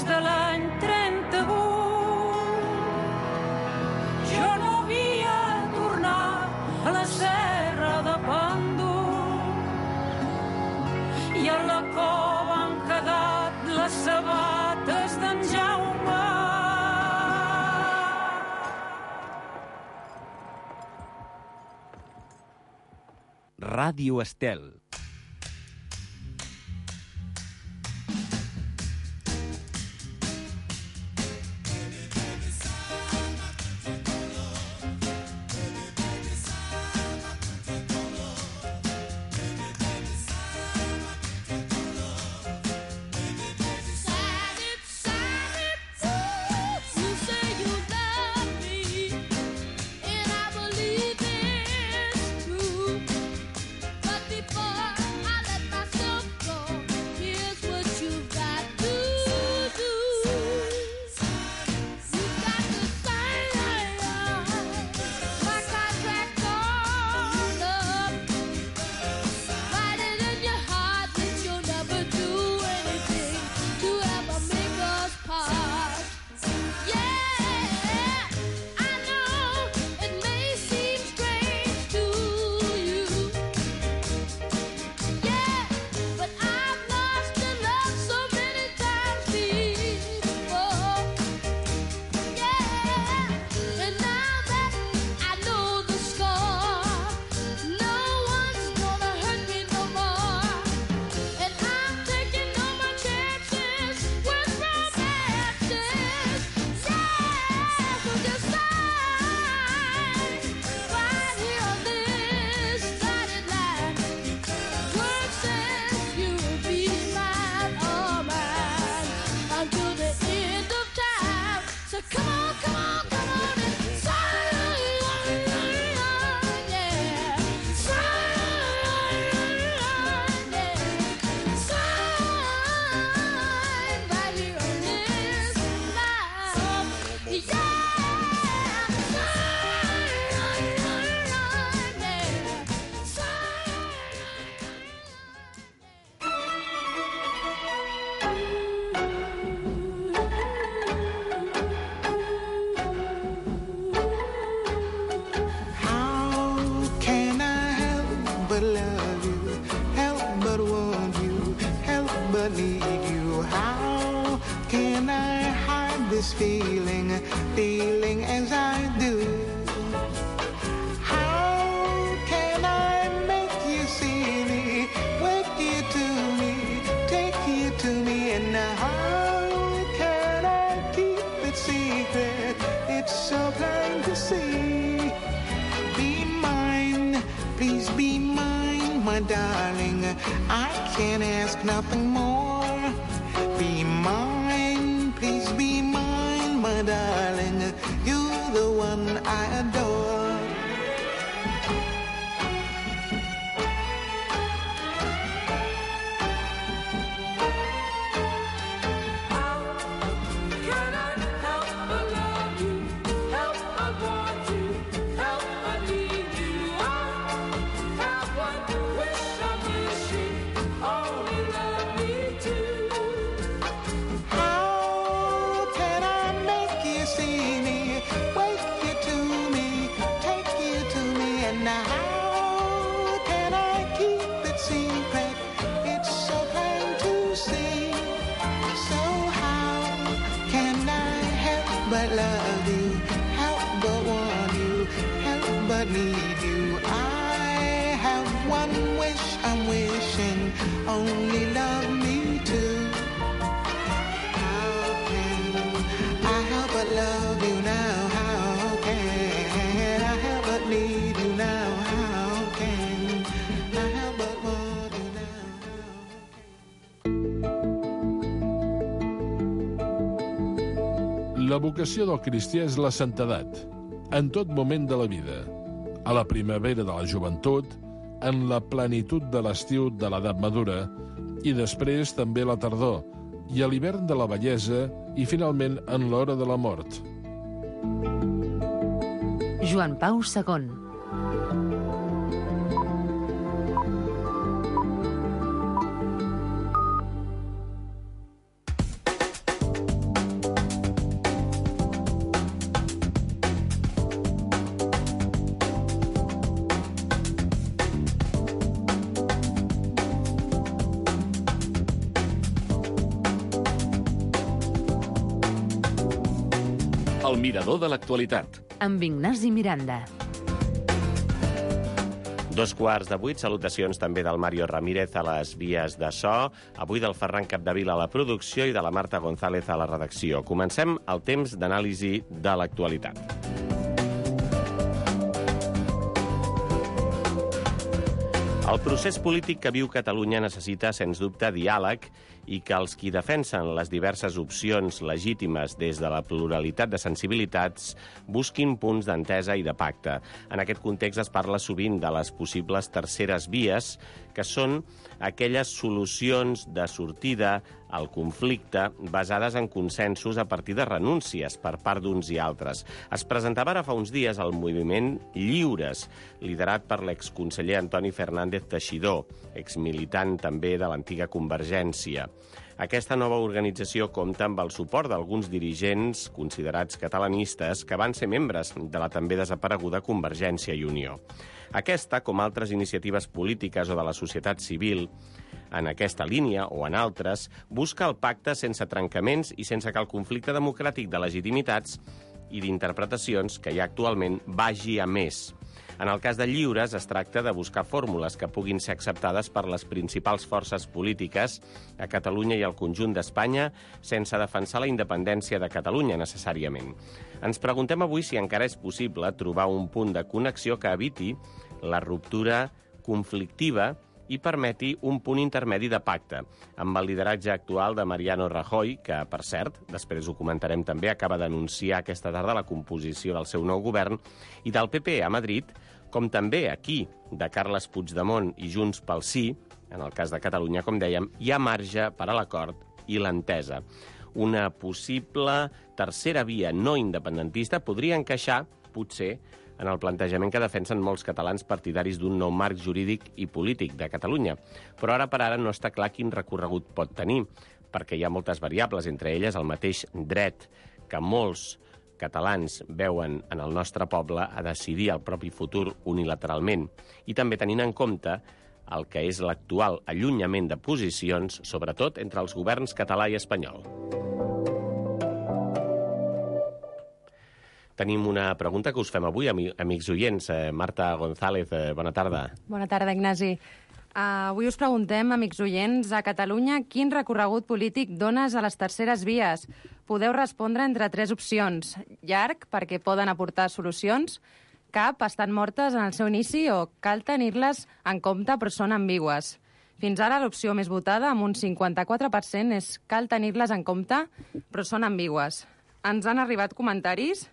de l'any 38 jo no havia tornat a la serra de Pendú i a la cova han quedat les sabates d'en Jaume. Ràdio Estel. Feeling as I do. How can I make you see me, wake you to me, take you to me, and how can I keep it secret? It's so plain to see. Be mine, please be mine, my darling. I can't ask nothing more. Be mine, please be mine, my darling, you're the one I adore. How can I help but love you, help but want you, help but need you? I have one wish I'm wishing, only love me too. See me, wake you to me, take you to me, and how can I keep it secret? It's so plain to see. So how can I help but love you, help but want you, help but need you? I have one wish I'm wishing, only love me too. But love you now, how can I help but need you now? How can I help but want you now? La vocació del cristià és la santedat, en tot moment de la vida, a la primavera de la joventut, en la plenitud de l'estiu de l'edat madura i després també a la tardor, i a l'hivern de la vellesa i, finalment, en l'hora de la mort. Joan Pau II. El mirador de l'actualitat. Amb Ignasi Miranda. 7:15, salutacions també del Mario Ramírez a les vies de so, avui del Ferran Capdevila a la producció i de la Marta González a la redacció. Comencem el temps d'anàlisi de l'actualitat. El procés polític que viu Catalunya necessita, sens dubte, diàleg i que els qui defensen les diverses opcions legítimes des de la pluralitat de sensibilitats busquin punts d'entesa i de pacte. En aquest context es parla sovint de les possibles terceres vies, que són aquelles solucions de sortida al conflicte basades en consensos a partir de renúncies per part d'uns i altres. Es presentava ara fa uns dies el moviment Lliures, liderat per l'exconseller Antoni Fernández Teixidor, exmilitant també de l'antiga Convergència. Aquesta nova organització compta amb el suport d'alguns dirigents considerats catalanistes que van ser membres de la també desapareguda Convergència i Unió. Aquesta, com altres iniciatives polítiques o de la societat civil, en aquesta línia o en altres, busca el pacte sense trencaments i sense que el conflicte democràtic de legitimitats i d'interpretacions que hi ha actualment vagi a més. En el cas de Lliures, es tracta de buscar fórmules que puguin ser acceptades per les principals forces polítiques a Catalunya i al conjunt d'Espanya sense defensar la independència de Catalunya, necessàriament. Ens preguntem avui si encara és possible trobar un punt de connexió que eviti la ruptura conflictiva i permeti un punt intermedi de pacte, amb el lideratge actual de Mariano Rajoy, que, per cert, després ho comentarem també, acaba d'anunciar aquesta tarda la composició del seu nou govern, i del PP a Madrid, com també aquí, de Carles Puigdemont i Junts pel Sí, en el cas de Catalunya, com dèiem, hi ha marge per a l'acord i l'entesa. Una possible tercera via no independentista podria encaixar, potser, en el plantejament que defensen molts catalans partidaris d'un nou marc jurídic i polític de Catalunya. Però ara per ara no està clar quin recorregut pot tenir, perquè hi ha moltes variables, entre elles el mateix dret que molts catalans veuen en el nostre poble a decidir el propi futur unilateralment, i també tenint en compte el que és l'actual allunyament de posicions, sobretot entre els governs català i espanyol. Tenim una pregunta que us fem avui, amics oients. Marta González, bona tarda. Bona tarda, Ignasi. Avui us preguntem, amics oients, a Catalunya, quin recorregut polític dones a les terceres vies? Podeu respondre entre 3 opcions. Llarg, perquè poden aportar solucions. Cap, estan mortes en el seu inici, o cal tenir-les en compte però són ambigües. Fins ara l'opció més votada, amb un 54%, és cal tenir-les en compte però són ambigües. Ens han arribat comentaris.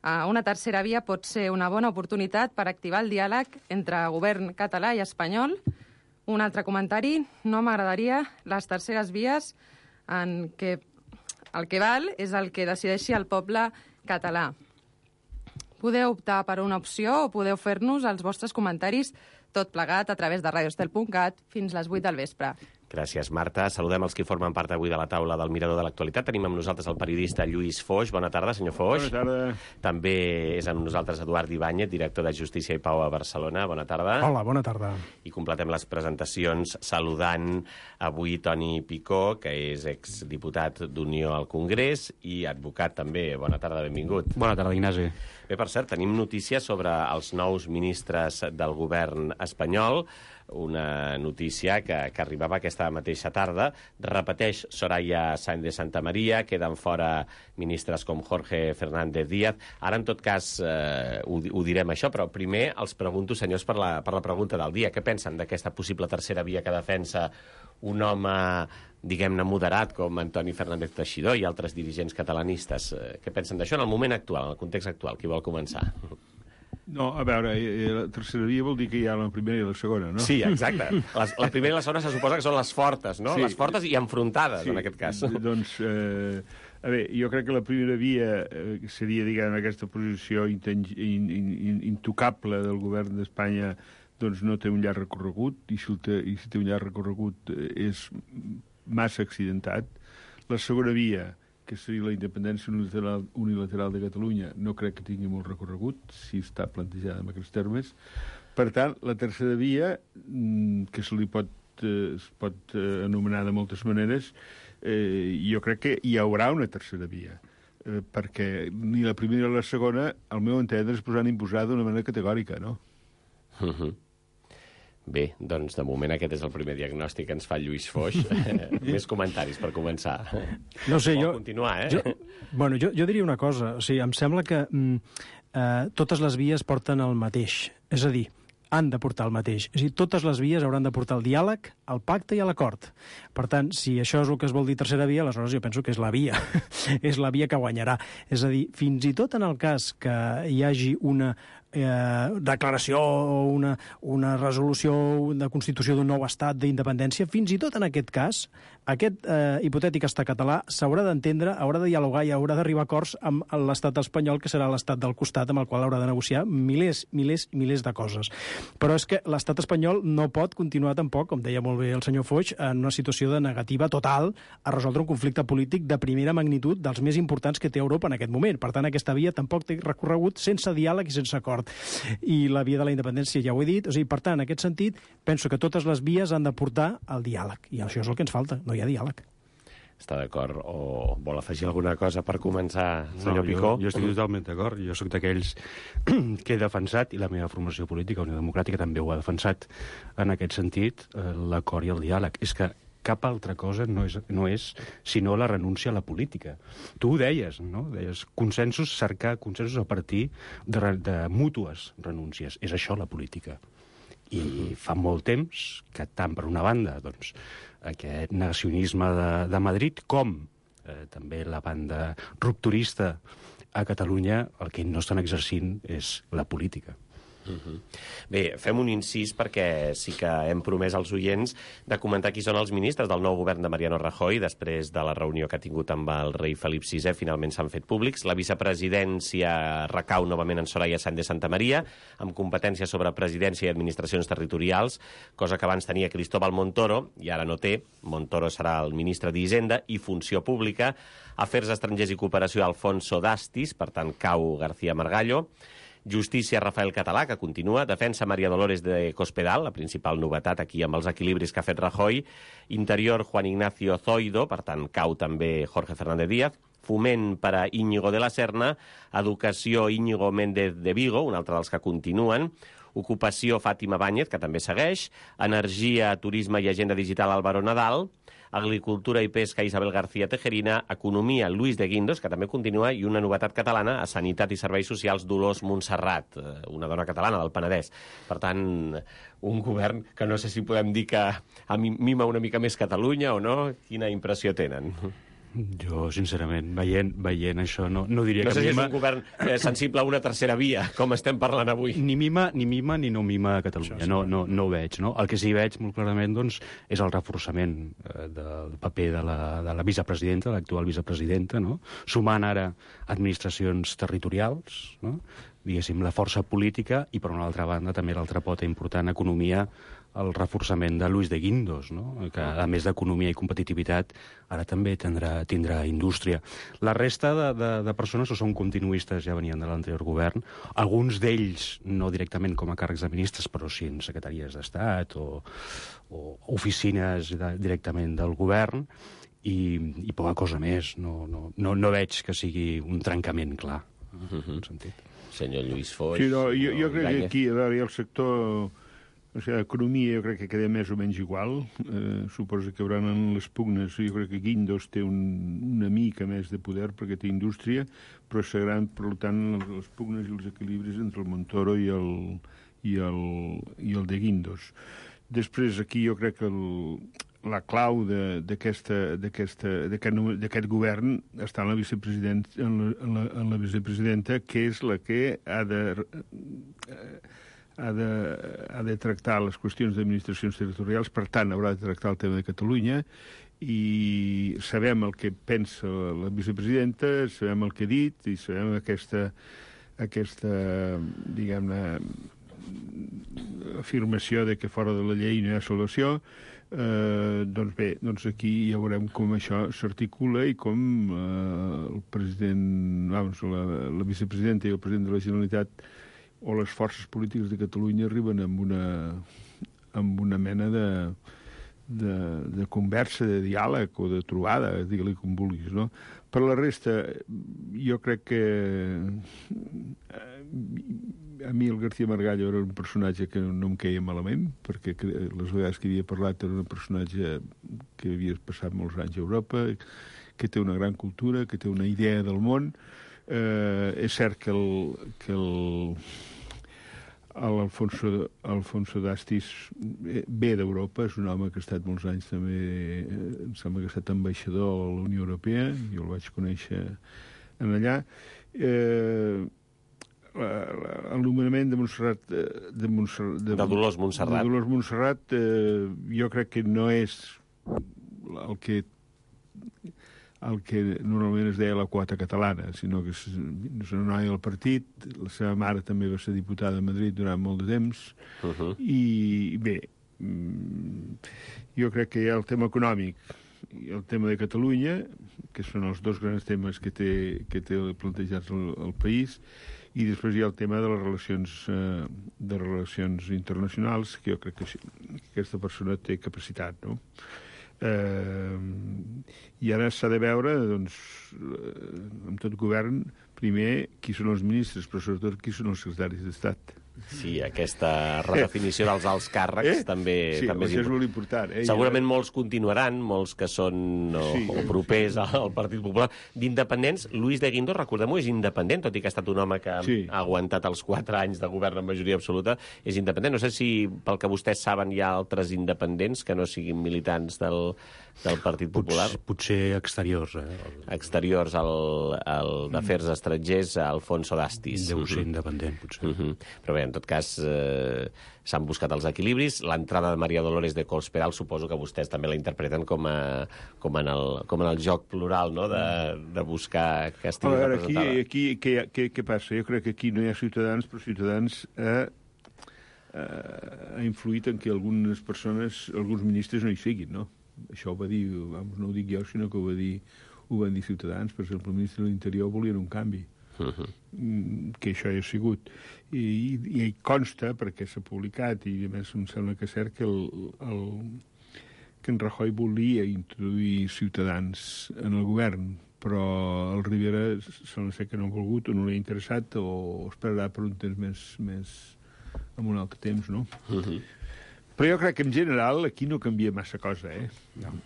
Una tercera via pot ser una bona oportunitat per activar el diàleg entre govern català i espanyol. Un altre comentari, no m'agradaria les terceres vies en què el que val és el que decideixi el poble català. Podeu optar per una opció o podeu fer-nos els vostres comentaris tot plegat a través de radioestel.cat fins les 8 del vespre. Gràcies, Marta. Saludem els que formen part avui de la taula del Mirador de l'Actualitat. Tenim amb nosaltres el periodista Lluís Foix. Bona tarda, senyor Foix. Bona tarda. També és amb nosaltres Eduard Ibáñez, director de Justícia i Pau a Barcelona. Bona tarda. Hola, bona tarda. I completem les presentacions saludant avui Toni Picó, que és exdiputat d'Unió al Congrés i advocat també. Bona tarda, benvingut. Bona tarda, Ignasi. Bé, per cert, tenim notícies sobre els nous ministres del govern espanyol. Una notícia que arribava aquesta mateixa tarda. Repeteix Soraya Sáenz de Santamaría, queden fora ministres com Jorge Fernández Díaz. Ara, en tot cas, ho direm això, però primer els pregunto, senyors, per la pregunta del dia. Què pensen d'aquesta possible tercera via que defensa un home, diguem-ne, moderat com Antoni Fernández Teixidor i altres dirigents catalanistes? Què pensen d'això en el moment actual, en el context actual? Qui vol començar? No, a veure, la tercera via vol dir que hi ha la primera i la segona, no? Sí, exacte. La primera i la segona se suposa que són les fortes, no? Sí. Les fortes i enfrontades, sí, en aquest cas. Doncs, a veure, jo crec que la primera via seria, diguem, aquesta posició intocable del govern d'Espanya, doncs no té un llarg recorregut, i si té un llarg recorregut és massa accidentat. La segona via, que seria la independència unilateral de Catalunya, no crec que tingui molt recorregut, si està plantejada en aquests termes. Per tant, la tercera via, que es pot anomenar de moltes maneres, jo crec que hi haurà una tercera via. perquè ni la primera ni la segona, al meu entendre, es posaran a imposar d'una manera categòrica, no? Bé, doncs de moment aquest és el primer diagnòstic que ens fa Lluís Foix. Més comentaris per començar. No sé, Vol continuar, jo diria una cosa. O sigui, em sembla que totes les vies porten el mateix. És a dir, han de portar el mateix. És a dir, totes les vies hauran de portar el diàleg, el pacte i l'acord. Per tant, si això és el que es vol dir tercera via, aleshores jo penso que és la via. És la via que guanyarà. És a dir, fins i tot en el cas que hi hagi una declaració o una resolució de constitució d'un nou estat d'independència, fins i tot en aquest cas, aquest hipotètic estat català s'haurà d'entendre, haurà de dialogar i haurà d'arribar a acords amb l'estat espanyol, que serà l'estat del costat amb el qual haurà de negociar milers de coses. Però és que l'estat espanyol no pot continuar tampoc, com deia molt bé el senyor Foix, en una situació de negativa total a resoldre un conflicte polític de primera magnitud dels més importants que té Europa en aquest moment. Per tant, aquesta via tampoc té recorregut sense diàleg i sense acord. I la via de la independència ja ho he dit. O sigui, per tant, en aquest sentit, penso que totes les vies han de portar el diàleg. I això és el que ens falta, no hi ha diàleg. Està d'acord? O vol afegir alguna cosa per començar, senyor Picó? Jo estic totalment d'acord. Jo sóc d'aquells que he defensat, i la meva formació política, Unió Democràtica, també ho ha defensat en aquest sentit, l'acord i el diàleg. És que cap altra cosa no és sinó la renúncia a la política. Tu ho deies, no? Deies consensos, cercar consensos a partir de mútues renúncies. És això la política. I fa molt temps que tant per una banda, doncs, aquest negacionisme de Madrid, com també la banda rupturista a Catalunya, el que no estan exercint és la política. Bé, fem un incís perquè sí que hem promès als oients de comentar qui són els ministres del nou govern de Mariano Rajoy després de la reunió que ha tingut amb el rei Felip VI. Finalment s'han fet públics. La vicepresidència recau novament en Soraya Sáenz de Santamaría, amb competències sobre presidència i administracions territorials, cosa que abans tenia Cristóbal Montoro, i ara no té. Montoro serà el ministre d'Hisenda i Funció Pública. Afers estrangers i cooperació, Alfonso Dastis, per tant, cau García Margallo. Justícia, Rafael Català, que continua. Defensa, María Dolores de Cospedal, la principal novetat aquí amb els equilibris que ha fet Rajoy. Interior, Juan Ignacio Zoido, per tant, cau també Jorge Fernández Díaz. Foment per a Íñigo de la Serna. Educació, Íñigo Méndez de Vigo, un altre dels que continuen. Ocupació, Fàtima Báñez, que també segueix. Energia, Turisme i Agenda Digital, Álvaro Nadal. Agricultura i Pesca, Isabel García Tejerina. Economia, Luis de Guindos, que també continua, i una novetat catalana, a Sanitat i Serveis Socials, Dolors Montserrat, una dona catalana del Penedès. Per tant, un govern que no sé si podem dir que mima una mica més Catalunya o no. Quina impressió tenen? Jo, sincerament, veient això, no diria que... No sé si és mima... un govern sensible a una tercera via, com estem parlant avui. Ni mima ni no mima a Catalunya, no ho veig, no? El que sí veig molt clarament, doncs, és el reforçament del paper de la vicepresidenta, l'actual vicepresidenta, no? Sumant ara administracions territorials, no? Diguéssim, la força política, i per una altra banda també l'altra pota important, economia, el reforçament de Luis de Guindos, no? Que a més d'economia i competitivitat ara també tindrà indústria. La resta de persones o són continuistes, ja venien de l'anterior govern, alguns d'ells no directament com a càrrecs de ministres, però sí en secretaries d'Estat o oficines directament del govern, i poca cosa més. No veig que sigui un trencament clar, en aquest sentit. Senyor Lluís Foix... Sí, no, jo crec que aquí, a veure, el sector... O sigui, l'economia jo crec que queda més o menys igual. Suposo que hi haurà les pugnes. Jo crec que Guindos té una mica més de poder perquè té indústria, però seran, per tant, les pugnes i els equilibris entre el Montoro i el de Guindos. Després, aquí jo crec que la clau d'aquest govern està en la vicepresidenta, que és la que ha de tractar les qüestions d'administracions territorials, per tant, haurà de tractar el tema de Catalunya, i sabem el que pensa la vicepresidenta, sabem el que ha dit, i sabem aquesta diguem-ne, afirmació de que fora de la llei no hi ha salvació. Doncs bé, aquí ja veurem com això s'articula i com el president, la vicepresidenta i el president de la Generalitat o les forces polítiques de Catalunya arriben amb una mena de conversa, de diàleg o de trobada, digue-li com vulguis, no? Per la resta, jo crec que a mi el García Margallo era un personatge que no em queia malament, perquè les vegades que havia parlat era un personatge que havia passat molts anys a Europa, que té una gran cultura, que té una idea del món. És cert que Alfonso d'Astis ve d'Europa, és un home que ha estat molts anys també, em sembla que ha estat ambaixador a la Unió Europea, jo el vaig conèixer en allà. El nomenament de Montserrat... de Dolors Montserrat. De Dolors Montserrat, jo crec que no és el que normalment es deia la quota catalana, sinó que és una noia del partit, la seva mare també va ser diputada a Madrid durant molt de temps, i bé, jo crec que hi ha el tema econòmic i el tema de Catalunya, que són els dos grans temes que té plantejats el país, i després hi ha el tema de les relacions internacionals, que jo crec que aquesta persona té capacitat, no? I ara s'ha de veure, doncs, amb tot govern, primer, qui són els ministres, però sobretot qui són els secretaris d'Estat. Sí, aquesta redefinició dels alts càrrecs també és és molt important. Segurament molts continuaran, molts que són o propers al Partit Popular. D'independents, Luis de Guindos, recordem-ho, és independent, tot i que ha estat un home que ha aguantat els 4 anys de govern en majoria absoluta, és independent. No sé si, pel que vostès saben, hi ha altres independents que no siguin militants del Partit Popular. Potser exteriors. Exteriors, el d'Afers Estrangers, Alfonso d'Astis. Deu ser independent, potser. Però bé, en tot cas, s'han buscat els equilibris. L'entrada de Maria Dolores de Cospedal suposo que vostès també la interpreten com en el joc plural, no?, de buscar que estigui representada. Aquí què passa? Jo crec que aquí no hi ha Ciutadans, però Ciutadans ha influït en que algunes persones, alguns ministres no hi siguin, no? Això ho va dir, no ho dic jo, sinó que ho van dir Ciutadans. Per exemple, el ministre de l'Interior volien un canvi. Que això hi ha sigut. I consta, perquè s'ha publicat, i a més em sembla que és cert, que en Rajoy volia introduir Ciutadans en el govern, però el Rivera sembla ser que no ha volgut o no li ha interessat o esperarà per un temps més amb un altre temps, no? Però jo crec que en general aquí no canvia massa cosa,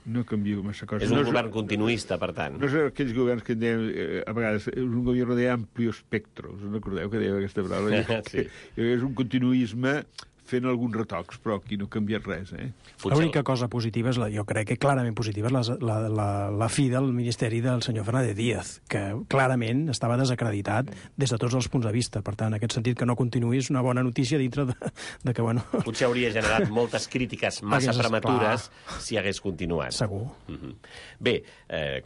No canvia massa cosa. És un govern continuista, per tant. No és aquells governs que en dèiem, a vegades, és un govern de amplio espectro. Us recordeu que deia aquesta paraula? Sí. És un continuisme fent alguns retocs, però aquí no ha canviat res, L'única cosa positiva, jo crec que clarament positiva, és la fi del ministeri del senyor Fernández Díaz, que clarament estava desacreditat des de tots els punts de vista. Per tant, en aquest sentit, que no continuï és una bona notícia dintre de que, bueno... Potser hauria generat moltes crítiques massa prematures si hagués continuat. Segur. Bé,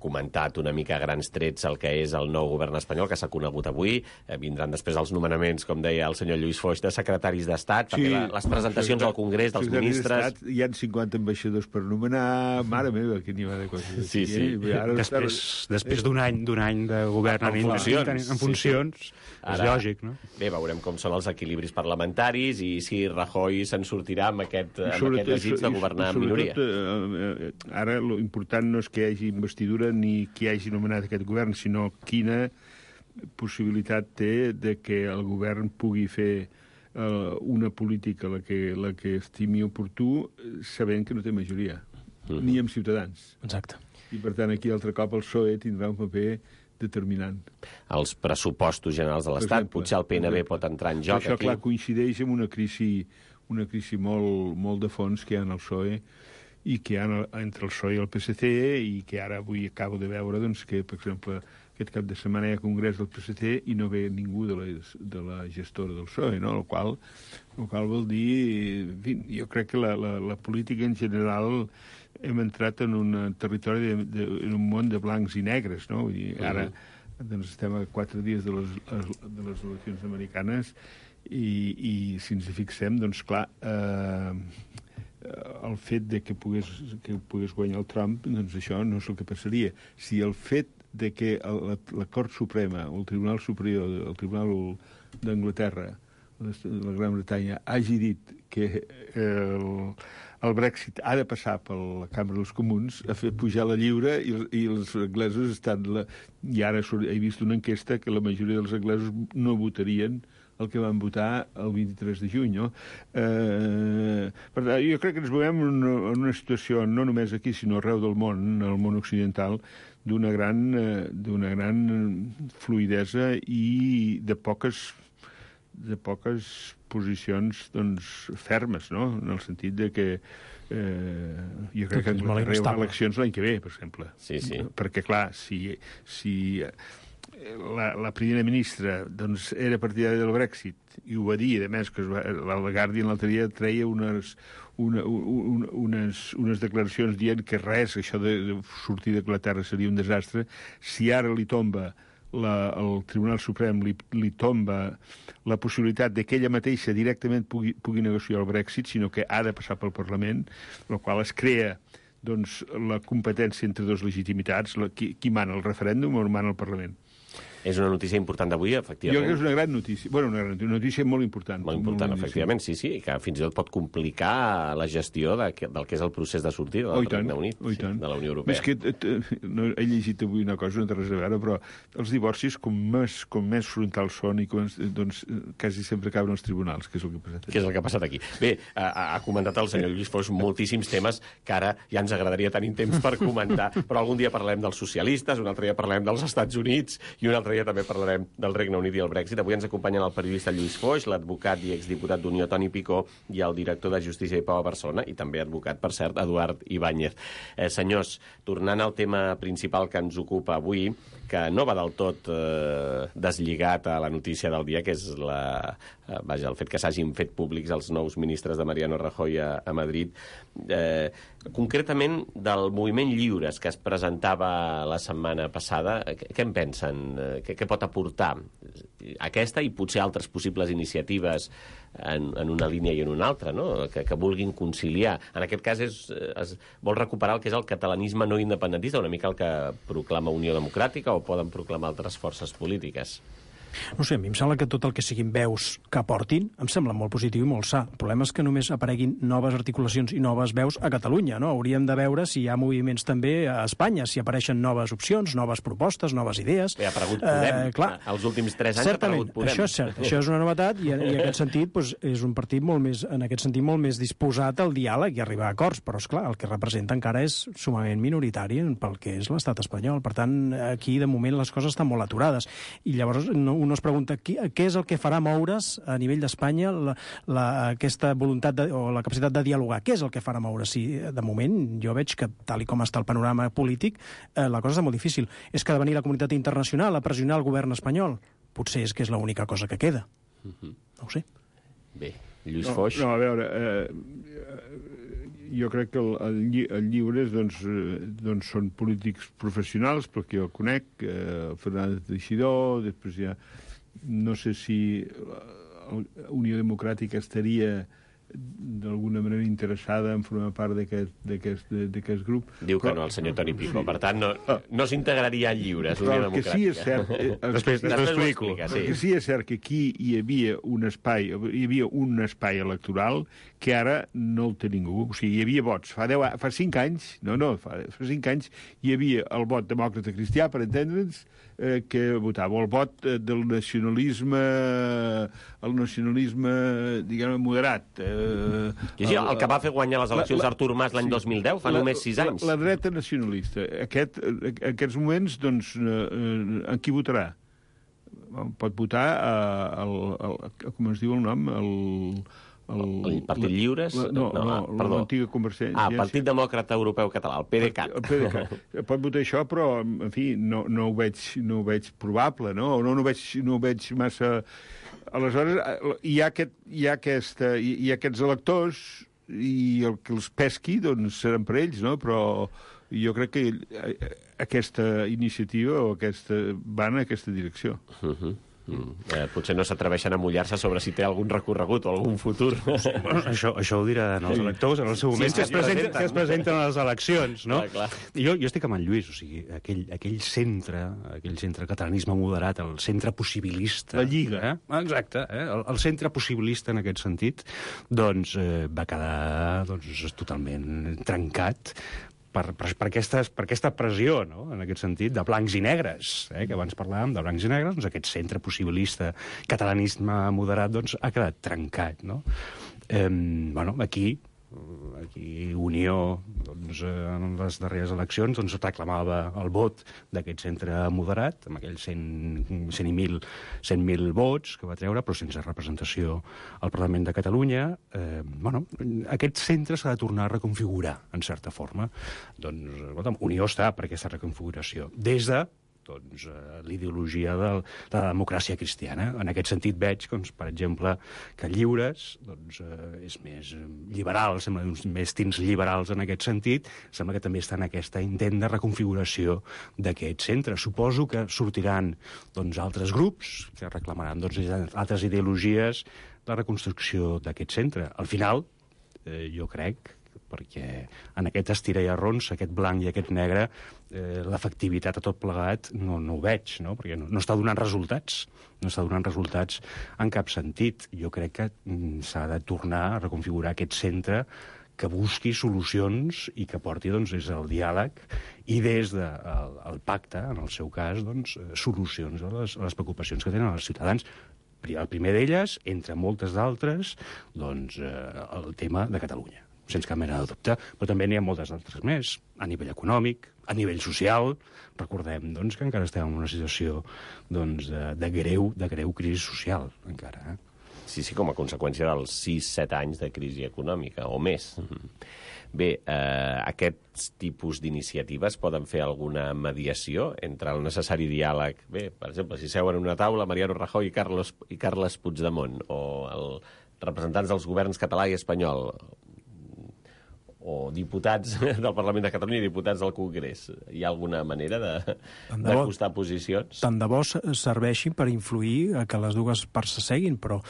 comentat una mica a grans trets el que és el nou govern espanyol, que s'ha conegut avui. Vindran després els nomenaments, com deia el senyor Lluís Foix, de secretaris d'Estat, perquè les presentacions al Congrés dels ministres... Hi ha 50 ambaixadors per nomenar... Mare meva, que n'hi va de coses. Sí. Després d'un any de govern en funcions, és lògic, no? Bé, veurem com són els equilibris parlamentaris i si Rajoy se'n sortirà amb aquest desig de governar en minoria. Ara, l'important no és que hi hagi investidura ni qui hagi nomenat aquest govern, sinó quina possibilitat té de que el govern pugui fer una política la que estimi oportú, sabent que no té majoria, ni amb Ciutadans. Exacte. I, per tant, aquí altre cop el PSOE tindrà un paper determinant. Els pressupostos generals de l'Estat, potser el PNB pot entrar en joc això, aquí. Clar, coincideix amb una crisi molt de fons que hi ha en el PSOE i que hi ha entre el PSOE i el PSC, i que ara avui acabo de veure doncs, que, per exemple, aquest cap de setmana hi ha congrés del PSC i no ve ningú de la gestora del PSOE, no? El qual vol dir... En fi, jo crec que la política en general hem entrat en un territori, en un món de blancs i negres, no? Vull dir, ara doncs, estem a 4 dies de les eleccions americanes i si ens hi fixem, doncs clar... el fet de que pogués guanyar el Trump, doncs això no és el que passaria. Si el fet de que la Cort Suprema, el Tribunal Superior, el Tribunal d'Anglaterra, la Gran Bretanya hagi dit que el Brexit ha de passar per la Cambra dels Comuns, ha fet pujar la lliura i els anglesos estan... I ara he vist una enquesta que la majoria dels anglesos no votarien el que van votar el 23 de juny, no? Per tant, jo crec que ens movem en una situació, no només aquí, sinó arreu del món, en el món occidental, d'una gran fluidesa i de poques posicions fermes, no? En el sentit de que jo crec que hi haurà eleccions l'any que ve, per exemple. Sí. Perquè, clar, si la primera ministra era partidària del Brexit i ho va dir, a més, que el Guardian l'altre dia treia unes declaracions dient que res, això de sortir d'Anglaterra seria un desastre. Si ara li tomba el Tribunal Suprem li tomba la possibilitat de que ella mateixa directament pugui negociar el Brexit, sinó que ha de passar pel Parlament, el qual es crea la competència entre dues legitimitats, qui mana el referèndum o mana el Parlament. És una notícia important d'avui, efectivament. Jo crec que és una gran notícia. Bueno, una notícia molt important. Molt important, efectivament, sí, que fins i tot pot complicar la gestió del que és el procés de sortida del Regne Unit, de la Unió Europea. És que he llegit avui una cosa, no té res a veure, però els divorcis, com més frontals són, quasi sempre acaben als tribunals, que és el que ha passat aquí. Que és el que ha passat aquí. Bé, ha comentat el senyor Lluís Foix moltíssims temes que ara ja ens agradaria tenir temps per comentar, però algun dia parlarem dels socialistes, un altre dia parlarem dels Estats Units i un altre dia també parlarem del Regne Unit i el Brexit. Avui ens acompanyen el periodista Lluís Foix, l'advocat i exdiputat d'Unió Toni Picó i el director de Justícia i Pau a Barcelona i també advocat, per cert, Eduard Ibáñez. Senyors, tornant al tema principal que ens ocupa avui, que no va del tot deslligat a la notícia del dia, que és el fet que s'hagin fet públics els nous ministres de Mariano Rajoy a Madrid, concretament del moviment Lliures que es presentava la setmana passada. Què en pensen? Què pot aportar aquesta i potser altres possibles iniciatives en una línia i en una altra, no? que vulguin conciliar? En aquest cas es vol recuperar el que és el catalanisme no independentista, una mica el que proclama Unió Democràtica, o poden proclamar altres forces polítiques? No sé, a mi em sembla que tot el que siguin veus que aportin em sembla molt positiu i molt sa. El problema és que només apareguin noves articulacions i noves veus a Catalunya, no? Hauríem de veure si hi ha moviments també a Espanya, si apareixen noves opcions, noves propostes, noves idees. Bé, ha aparegut Podem. Els últims 3 anys ha aparegut Podem. Això és cert, això és una novetat i en aquest sentit és un partit molt més disposat al diàleg i a arribar a acords, però esclar, el que representa encara és sumament minoritari pel que és l'estat espanyol. Per tant, aquí de moment les coses estan molt aturades i llavors un es pregunta què és el que farà moure's a nivell d'Espanya aquesta voluntat o la capacitat de dialogar. Què és el que farà moure? Si de moment jo veig que, tal i com està el panorama polític, la cosa està molt difícil. És que ha de venir la comunitat internacional a pressionar el govern espanyol. Potser és que és l'única cosa que queda. No ho sé. Bé, Lluís Foix... No, a veure... jo crec que el Lliures són polítics professionals, perquè jo el conec, Fernández Teixidó, després ja no sé si Unió Democràtica estaria d'alguna manera interessada en formar part d'aquest grup. Diu que no, el senyor Toni Picó. Per tant, no s'integraria a Lliures, Unió Democràtica. El que sí és cert... Després l'explico. El que sí és cert que aquí hi havia un espai electoral que ara no el té ningú. O sigui, hi havia vots. Fa 5 anys, fa 5 anys hi havia el vot demòcrata cristià, per entendre'ns, que votava el vot del nacionalisme diguem, moderat. El que va fer guanyar les eleccions Artur Mas l'any 2010, fa només 6 anys. La dreta nacionalista. Aquests moments, doncs, en qui votarà? Pot votar com es diu el nom? El Partit Lliures? Perdó. L'antiga Convergència. Partit Demòcrata Europeu Català, el PDeCAT. El PDeCAT. Pot votar això, però, en fi, no ho veig probable, no? No ho veig massa... Aleshores, hi ha aquests electors i el que els pesqui, doncs, seran per ells, no? Però jo crec que aquesta iniciativa va en aquesta direcció. Potser no s'atreveixen a mullar-se sobre si té algun recorregut o algun futur. Això ho diran els electors en el seu moment, si es presenten a les eleccions, no? Clar. Jo estic amb en Lluís, o sigui, aquell centre catalanisme moderat, el centre possibilista... La Lliga. Exacte, el centre possibilista en aquest sentit, doncs va quedar totalment trencat per aquesta pressió, no? En aquest sentit, de blancs i negres, que abans parlàvem de blancs i negres, doncs aquest centre possibilista, catalanisme moderat, doncs ha quedat trencat, no? Aquí Unió, doncs, en les darreres eleccions, doncs, reclamava el vot d'aquest centre moderat, amb aquells 100.000 vots que va treure, però sense representació al Parlament de Catalunya. Aquest centre s'ha de tornar a reconfigurar, en certa forma. Doncs, escolta'm, Unió està per aquesta reconfiguració. Des de l'ideologia de la democràcia cristiana. En aquest sentit veig, per exemple, que Lliures és més liberal, sembla uns més tints liberals en aquest sentit, sembla que també està en aquest intent de reconfiguració d'aquest centre. Suposo que sortiran altres grups que reclamaran altres ideologies la reconstrucció d'aquest centre. Al final, jo crec, perquè en aquest estira i arronsa, aquest blanc i aquest negre, l'efectivitat a tot plegat no ho veig, no? Perquè no està donant resultats. No està donant resultats en cap sentit. Jo crec que s'ha de tornar a reconfigurar aquest centre que busqui solucions i que porti des del diàleg i des del pacte, en el seu cas, solucions a les preocupacions que tenen els ciutadans. El primer d'elles, entre moltes d'altres, el tema de Catalunya, sense cap mena de dubte, però també n'hi ha moltes altres més, a nivell econòmic, a nivell social. Recordem, que encara estem en una situació de greu crisi social, encara. Sí, com a conseqüència dels 6-7 anys de crisi econòmica, o més. Bé, aquests tipus d'iniciatives poden fer alguna mediació entre el necessari diàleg? Bé, per exemple, si seuen en una taula Mariano Rajoy i Carles Puigdemont, o els representants dels governs català i espanyol, o diputats del Parlament de Catalunya i diputats del Congrés. Hi ha alguna manera d'acostar posicions? Tant de bo serveixi per influir a que les dues parts s'asseguin, però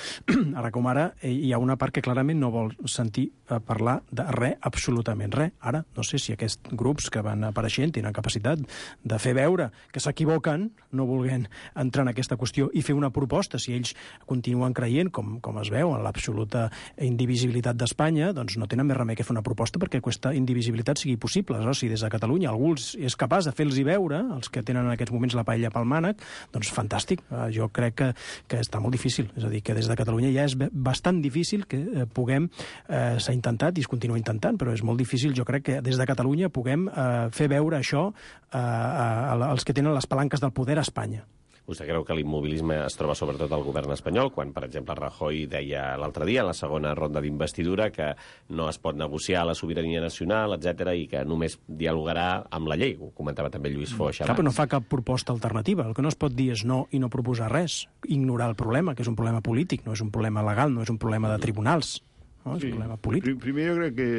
ara com ara hi ha una part que clarament no vol sentir parlar de res, absolutament res. Ara, no sé si aquests grups que van apareixent tenen capacitat de fer veure que s'equivoquen, no volent entrar en aquesta qüestió i fer una proposta. Si ells continuen creient, com es veu, en l'absoluta indivisibilitat d'Espanya, doncs no tenen més remei que fer una proposta perquè aquesta indivisibilitat sigui possible. Si des de Catalunya algú és capaç de fer-los veure, els que tenen en aquests moments la paella pel mànec, doncs fantàstic. Jo crec que està molt difícil. És a dir, que des de Catalunya ja és bastant difícil que puguem, s'ha intentat i es continua intentant, però és molt difícil, jo crec, que des de Catalunya puguem fer veure això als que tenen les palanques del poder a Espanya. Vostè creu que l'immobilisme es troba sobretot al govern espanyol, quan, per exemple, Rajoy deia l'altre dia, en la segona ronda d'investidura, que no es pot negociar la sobirania nacional, etc i que només dialogarà amb la llei? Ho comentava també Lluís Foix abans. Però no fa cap proposta alternativa. El que no es pot dir és no i no proposar res. Ignorar el problema, que és un problema polític, no és un problema legal, no és un problema de tribunals. No? És un problema polític. Primer jo crec que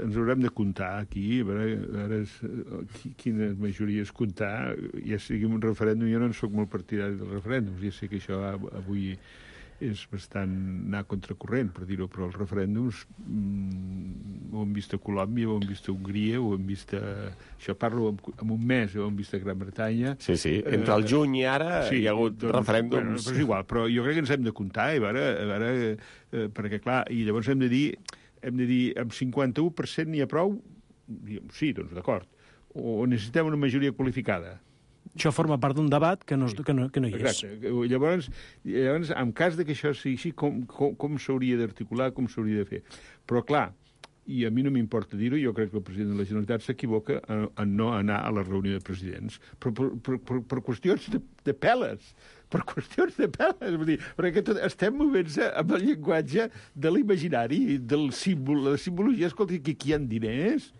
ens haurem de comptar aquí, a veure quines majories comptar, ja sigui un referèndum. Jo no en soc molt partidari dels referèndums, ja sé que això avui és bastant anar contracorrent, per dir-ho, però els referèndums ho hem vist a Colòmbia, ho hem vist a Hongria, ho hem vist a... Això parlo en un mes, ho hem vist a Gran Bretanya. Sí, entre el juny i ara hi ha hagut referèndums. Bueno, però és igual, però jo crec que ens hem de comptar, a veure, perquè clar, i llavors hem de dir amb 51% n'hi ha prou? Sí, doncs d'acord. O necessitem una majoria qualificada? Això forma part d'un debat que no hi és. Exacte. Llavors, en cas de que això sigui així, com s'hauria d'articular, com s'hauria de fer? Però, clar, i a mi no m'importa dir-ho, jo crec que el president de la Generalitat s'equivoca en no anar a la reunió de presidents, però per qüestions de peles. Per qüestions de peles. Vull dir, perquè estem movent-se amb el llenguatge de l'imaginari, del símbol, la simbologia. Escolta, que aquí hi ha diners,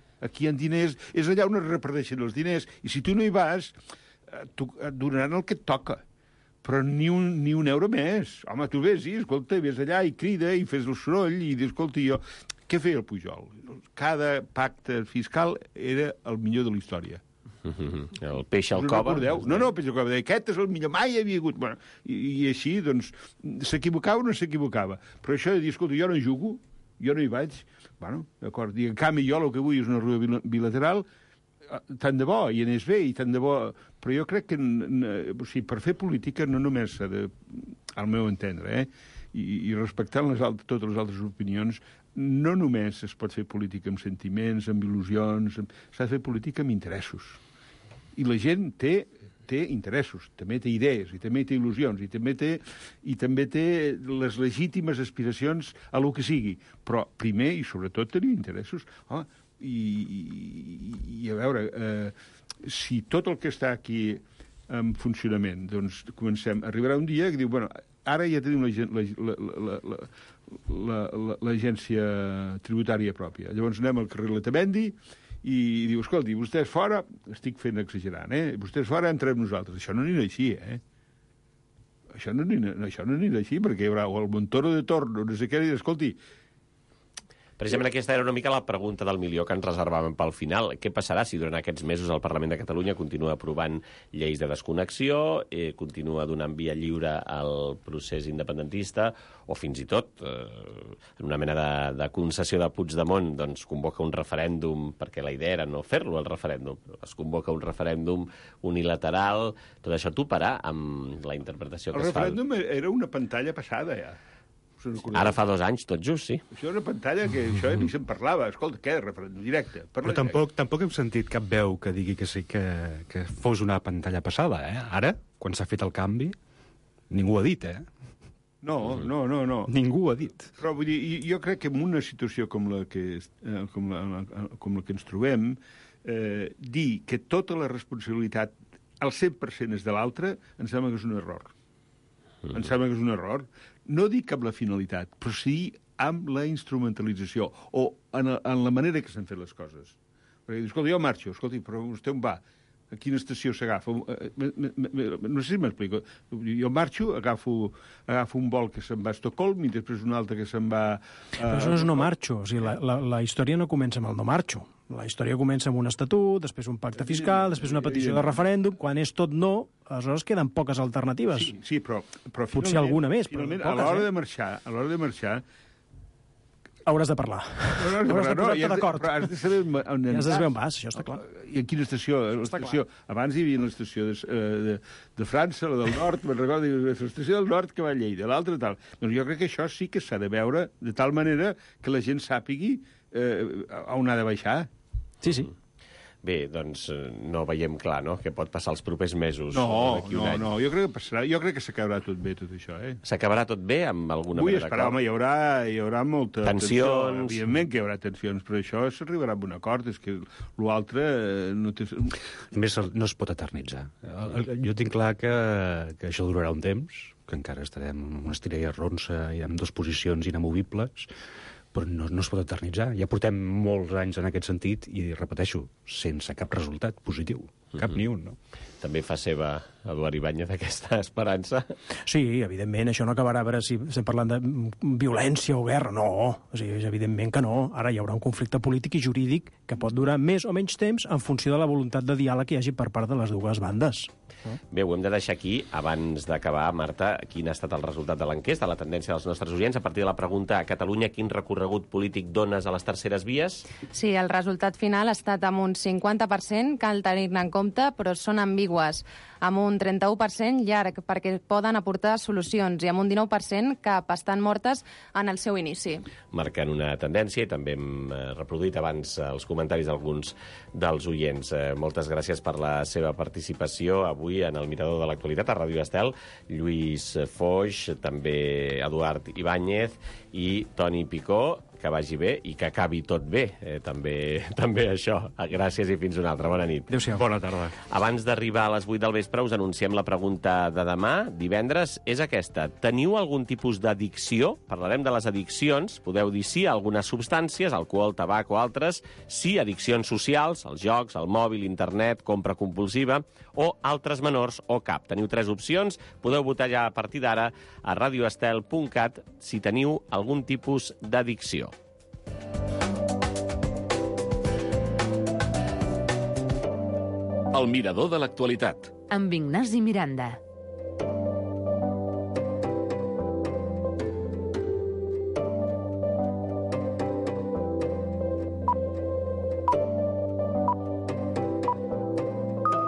és allà on es reparteixen els diners, i si tu no hi vas, et donaran el que et toca, però ni un euro més. Home, tu vés allà i crida i fes el soroll i dius, escolta, jo... Què feia el Pujol? Cada pacte fiscal era el millor de la història. El peix al Us ho cova. recordeu? No, el peix al cova. Deia, aquest és el millor, mai hi havia hagut. Bueno, i així, doncs, s'equivocava o no s'equivocava. Però això de dir, escolta, jo no jugo, jo no hi vaig, bueno, d'acord, i en canvi jo el que vull és una ruta bilateral, tant de bo, i anés bé, i tant de bo... Però jo crec que, o sigui, per fer política no només s'ha de, al meu entendre, i respectant totes les altres opinions, no només es pot fer política amb sentiments, amb il·lusions, s'ha de fer política amb interessos. I la gent té interessos, també té idees, i també té il·lusions, i també té les legítimes aspiracions a lo que sigui. Però primer i sobretot tenir interessos. I a veure, si tot el que està aquí en funcionament, doncs arribarà un dia que diu, bueno, ara ja tenim l'agència tributària pròpia. Llavors anem al carrer Letamendi i diu, escolti, vostès fora, estic fent exagerant, vostès fora, entrem nosaltres. Això no anirà així, Això no anirà així, perquè hi haurà el Montoro de Torno, no sé què, i escolti, Precisament aquesta era una mica la pregunta del milió que ens reservàvem pel final. Què passarà si durant aquests mesos el Parlament de Catalunya continua aprovant lleis de desconnexió, continua donant via lliure al procés independentista, o fins i tot, en una mena de concessió de Puigdemont, doncs convoca un referèndum, perquè la idea era no fer-lo, el referèndum. Es convoca un referèndum unilateral. Tot això toparà amb la interpretació que es fa. El referèndum era una pantalla passada, ja. Ara fa 2 anys, tot just, sí. Això és una pantalla que això ni se'n parlava. Escolta, què? Referèndum directe. Però tampoc hem sentit cap veu que digui que sí que fos una pantalla passada, Ara, quan s'ha fet el canvi, ningú ho ha dit, No. Ningú ho ha dit. Però vull dir, jo crec que en una situació com la que ens trobem, dir que tota la responsabilitat al 100% és de l'altre, em sembla que és un error. Em sembla que és un error. No dic amb la finalitat, però sí amb la instrumentalització o en la manera que s'han fet les coses. Perquè dius, escolta, jo marxo, però vostè on va? A quina estació s'agafa? No sé si m'explico. Jo marxo, agafo un vol que se'n va a Estocolm i després un altre que se'n va... Però això no és no marxo. O sigui, la història no comença amb el no marxo. La història comença amb un estatut, després un pacte fiscal, després una petició de referèndum. Quan és tot no, aleshores queden poques alternatives. Sí, però potser alguna més, però poques, a l'hora de marxar, hauràs de parlar. Hauràs de posar-te d'acord. Però has de saber on ja has de saber on vas, això està clar. I en quina estació? Abans hi havia l'estació de França, la del nord, me'n recordo, l'estació del nord que va a Lleida, l'altra tal. Doncs jo crec que això sí que s'ha de veure de tal manera que la gent sàpigui on ha de baixar. Sí. Bé, doncs no veiem clar, no?, què pot passar els propers mesos. No, jo crec que passarà. Jo crec que s'acabarà tot bé, tot això, S'acabarà tot bé amb alguna mena d'acord? Vull esperar, home, hi haurà molta tensió. Evidentment que hi haurà tensions, però això s'arribarà a un acord. És que l'altre no té... A més, no es pot eternitzar. Jo tinc clar que això durarà un temps, que encara estarem en una estira i arronsa i amb 2 posicions inamovibles, però no es pot eternitzar. Ja portem molts anys en aquest sentit i, repeteixo, sense cap resultat positiu. Cap ni un, no? També fa seva Eduard Ibáñez aquesta esperança. Sí, evidentment, això no acabarà, a veure si estem parlant de violència o guerra. No, o sigui, evidentment que no. Ara hi haurà un conflicte polític i jurídic que pot durar més o menys temps en funció de la voluntat de diàleg que hi hagi per part de les dues bandes. Bé, ho hem de deixar aquí. Abans d'acabar, Marta, quin ha estat el resultat de l'enquesta, la tendència dels nostres oients, a partir de la pregunta a Catalunya, quin recorregut polític dones a les terceres vies? Sí, el resultat final ha estat amb un 50%, cal tenir-ne en compte, però són ambigües, amb un 31% llarg, perquè poden aportar solucions, i amb un 19% que estan mortes en el seu inici. Marcant una tendència, i també hem reproduït abans els comentaris d'alguns dels oients. Moltes gràcies per la seva participació avui en el Mirador de l'Actualitat a Ràdio Estel. Lluís Foix, també Eduard Ibáñez i Toni Picó. Que vagi bé i que acabi tot bé. També això. Gràcies i fins una altra. Bona nit. Adéu-siau. Bona tarda. Abans d'arribar a les 8 del vespre us anunciem la pregunta de demà, divendres, és aquesta. Teniu algun tipus d'addicció? Parlarem de les addiccions. Podeu dir sí a algunes substàncies, alcohol, tabac o altres, sí a addiccions socials, els jocs, el mòbil, internet, compra compulsiva, o altres menors o cap. Teniu 3 opcions. Podeu votar ja a partir d'ara a radioestel.cat si teniu algun tipus d'addicció. El mirador de l'actualitat. Amb Ignasi Miranda.